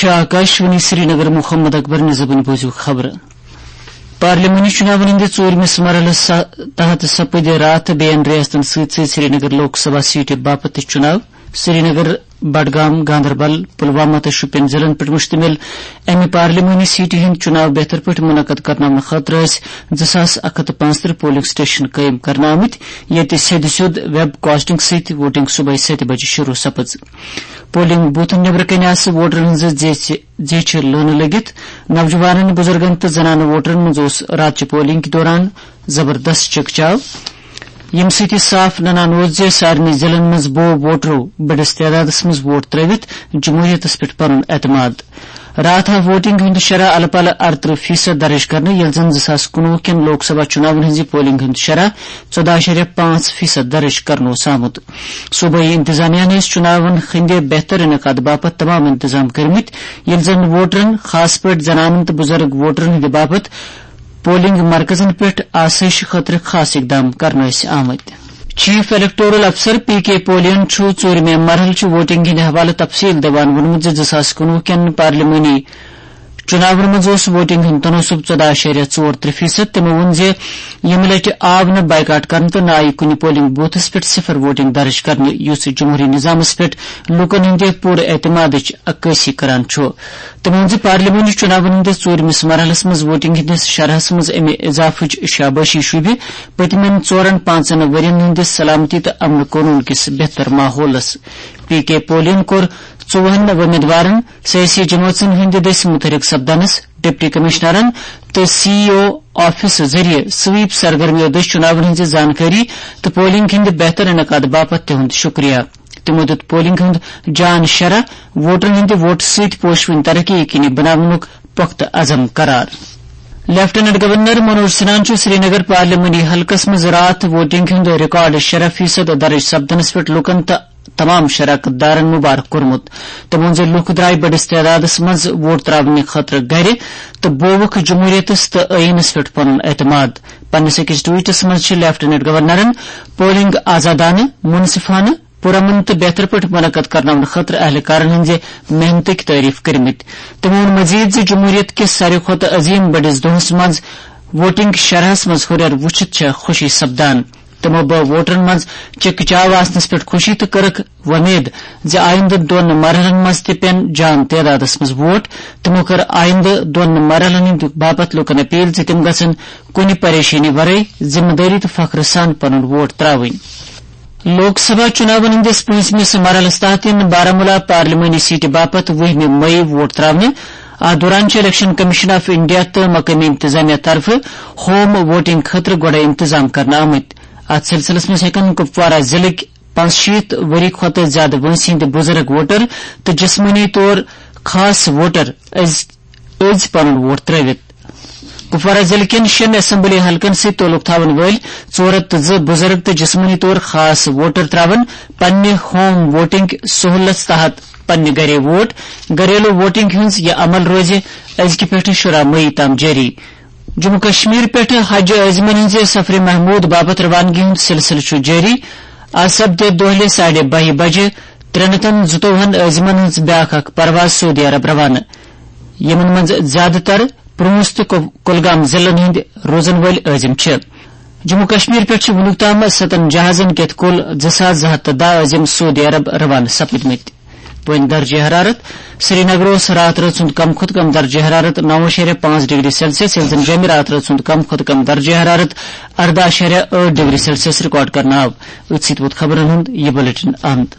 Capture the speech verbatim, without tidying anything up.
چھُ آکاشوانی سرینگر۔ محمد اکبر نِزبٕنۍ بوٗزِو خبرٕ۔ پارلیمانی چُناون ہٕنٛدِ ژوٗرمِس مرحلس سا-، تحت سپٕدِ راتھ بیٚین ریاستن سۭتۍ سۭتۍ سرینگر لوک سبھا سیٹہِ باپتھ تہِ چُناو۔ سرینگر، بڈگام، گاندربل، پلوامہ تہٕ شوپین ضلعن پٮ۪ٹھ مشتمل امہِ پارلیمانی سیٹہِ ہٕنٛدۍ چُناو بہتر پٲٹھۍ منعقد کرناونہٕ خٲطرٕ ٲسۍ زٕ ساس اکھ ہتھ تہٕ پانٛژترٕٛہ پولنگ سٹیشن قٲیِم کرنہٕ آمٕتۍ، ییٚتہِ سیٚدِ سیوٚد ویب کاسٹنگ سۭتۍ ووٹنگ صبحٲے ستہِ بجہِ شروع سپٕز۔ پولنگ بوتھن نیبرٕ کنہِ آسہٕ ووٹرن ہٕنٛزٕ زیچھِ، زیچھِ لٲنہٕ لٔگِتھ۔ نوجوانن، بزرگن تہٕ زنانہٕ ووٹرن منٛز اوس راتچہِ پولنگ دوران زبردست چکچاو، ییٚمہِ سۭتۍ یہِ صاف ننان اوس زِ سارنٕے ضلعن منٛز بوو ووٹرو بٔڑِس تعدادس منٛز ووٹ ترٲوِتھ جمہوریتس پٮ۪ٹھ پنُن اعتماد۔ راتھ آو ووٹنگ ہُنٛد شرح الہٕ پلہٕ ارترٕہ فیصد درج کرنہٕ، ییٚلہِ زن زٕ ساس کُنوُہ کٮ۪ن لوک سبھا چُناون ہٕنٛزِ پولنگ ہُنٛد شرح ژۄداہ اَشاریہ پانٛژھ فیصد درج کرنہٕ اوس آمُت۔ صوبٲئی انتظامیہ ہن ٲسۍ چُناون ہٕنٛدِ بہتر انعقاد باپتھ تمام انتظام کٔرمٕتۍ، ییٚلہِ زن ووٹرن، خاص پٲٹھۍ زنانن تہٕ بُزرگ ووٹرن ہٕنٛدِ باپتھ پولنگ مرکزن پٮ۪ٹھ آسٲیشہِ خٲطرٕ خاص اقدام کرنہٕ ٲسۍ آمٕتۍ۔ چیف الیکٹورل افسر پی کے پولین چھُ ژوٗرِمہِ مرحلہٕ چہِ ووٹنگ ہٕنٛدِ حوالہٕ تفصیل دِوان ووٚنمُت زِ زٕ ساس کُنوُہ کٮ۪ن پارلیمانی چُناون منٛز اوس ووٹنگ ہُنٛد تناسب ژۄداہ اَشاریہ ژور ترٛےٚ فیصد۔ تِمو ووٚن زِ ییٚمہِ لٹہِ آو نہٕ بائیکاٹ کرنہٕ تہٕ نہ آیہِ کُنہِ پولنگ بوتھس پٮ۪ٹھ صفر ووٹنگ درج کرنہٕ، یُس جمہوری نظامس پٮ۪ٹھ لوٗکن ہٕنٛدِ پوٗرٕ اعتمادٕچ عکٲسی کران چھُ۔ تٔمۍ ووٚن زِ پارلیمانی چُناون ہٕنٛدِس ژوٗرمِس مرحلس منٛز ووٹنگ ہٕنٛدِس شرحس منٛز امہِ اضافٕچ شابٲشی شوٗبہِ پٔتمٮ۪ن ژورن پانٛژن ؤرین ہٕنٛدِس سلامتی تہٕ امن قونوٗن کِس بہتر ماحولس۔ پی کے پولین کوٚر ژوٚوُہن وۄمیدوارن، سیٲسی جمٲژن ہٕنٛدِ دٔسۍ متحرک سپدنس، ڈپٹی کمشنرن تہٕ سی ای او آفس ذٔریعہٕ سویپ سرگرمیو دٔسۍ چُناون ہٕنٛزِ زانکٲری تہٕ پولنگ ہٕنٛدِ بہتر انعقاد باپتھ تِہُنٛد شُکریہ۔ تِمو دیُت پولنگ ہُنٛد جان شرح، ووٹرن ہٕنٛدِ ووٹہٕ سۭتۍ پوشوٕنۍ ترقی یقینی بناونُک پۄختہٕ عزم قرار۔ لیفٹیننٹ گورنر منوج سنہاہن چھُ سرینگر پارلیمانی حلقس منٛز راتھ ووٹنگ ہُنٛد ریکارڈ شرح فیصد درج سپدنس پٮ۪ٹھ لوٗکن تہٕ تمام شراکت دارن مبارک کوٚرمُت۔ تٔمۍ ووٚن زِ لوٗکھ درٛاے بٔڑِس تعدادس منٛز ووٹ ترٛاونہٕ خٲطرٕ گرِ تہٕ بووُکھ جمہوریتس تہٕ ٲییٖنس پٮ۪ٹھ پنُن اعتماد۔ پننِس أکِس ٹویٹس منٛز چھِ لیفٹیننٹ گورنرن پولنگ آزادانہٕ، منصفانہٕ، پرامن تہٕ بہتر پٲٹھۍ منعقد کرناونہٕ خٲطرٕ اہلکارن ہٕنٛزِ محنتٕکۍ تعریف کٔرمٕتۍ۔ تٔمۍ ووٚن مزید زِ جمہوریت کِس ساروی کھۄتہٕ عظیم بٔڑِس دۄہس منٛز ووٹنگ شرحس منٛز ہُرٮ۪ر وُچھِتھ چھےٚ خوشی سپدان۔ تِمو بٲو ووٹرن منٛز چکچاو آسنس پٮ۪ٹھ خوشی تہٕ کٔرٕکھ وۄمید زِ آیندٕ دۄن مرحلن منٛز تہِ پٮ۪ن جان تعدادس منٛز ووٹ۔ تِمو کٔر آیندٕ دۄن مرحلن ہٕنٛدِ باپتھ لوٗکن اپیل زِ تِم گژھن کُنہِ پریشٲنی ورٲے ذمہٕ دٲری تہٕ فخرٕ سان پنُن ووٹ ترٛاوٕنۍ۔ لوک سبھا چُناون ہٕنٛدِس پٲنٛژمِس مرحلس تحت یِن بارہمولہ پارلیمانی سیٹہِ باپتھ وُہمہِ مئی ووٹ ترٛاونہٕ۔ اتھ دوران چھِ الیکشن کمیشن آف انڈیا تہٕ مقٲمی انتظامیہ طرفہٕ ہوم ووٹنگ خٲطرٕ گۄڈے انتظام کرنہٕ آمٕتۍ۔ اتھ سلسلس منٛز ہٮ۪کن کپوارہ ضلعٕکۍ پانٛژشیٖتھ ؤری کھۄتہٕ زِیٛادٕ وٲنٛسہِ ہٕنٛدۍ بُزرگ ووٹر تہٕ جسمٲنی طور خاص ووٹر أزۍ، أزۍ پنُن ووٹ ترٛٲوِتھ۔ کپوارہ ضلعہٕ کٮ۪ن شیٚن اسمبلی حلقن سۭتۍ تعلق تھاون وٲلۍ ژور ہتھ تہٕ زٕ بُزرگ تہٕ جسمٲنی طور خاص ووٹر ترٛاون پننہِ ہوم ووٹنگ سہولتس تحت پننہِ گرے ووٹ۔ گھریلو ووٹنگ ہٕنٛز یہِ عمل روزِ أزکہِ پٮ۪ٹھٕ شُراہ مئی تام جٲری۔ جموں کشمیر پٮ۪ٹھٕ حج عازمن ہٕنٛزِ سفرِ محمود باپتھ روانگی ہُنٛد سلسلہٕ چھُ جٲری۔ آز سپدِ دۄہلہِ ساڑِ باہہِ بجہِ ترٛےٚ ہتن زٕتووُہن عازمن ہٕنٛز بیٛاکھ اکھ پرواز سعودی عرب روانہٕ، یِمن منٛز زیادٕ تر پرونس تہٕ کو-، کولگام ضلعن ہٕنٛدۍ روزن وٲلۍ عازم چھِ۔ جموں کشمیر پٮ۪ٹھ چھِ وُنیُک تام ستن جہازن کٮ۪تھ کُل زٕ ساس زٕ ہتھ تہٕ دَہ عازم سعودی عرب روانہٕ سپٕدمٕتۍ۔ وۄنۍ درجہ حرارت۔ سرینگر اوس راتھ رٲژ ہُنٛد کم کھۄتہٕ کم درجہ حرارت نَو اَشاریہ پانٛژھ ڈگری سیلسیس، ییٚلہِ زن جیٚمہِ راتھ رٲژ ہُنٛد کم کھۄتہٕ کم درجہ حرارت ارداہ اَشاریہ ٲٹھ ڈگری سیلسیس ریکارڈ کرنہٕ آو۔ أتھۍ سۭتۍ ووت خبرن ہُنٛد یہِ بلیٹن اند۔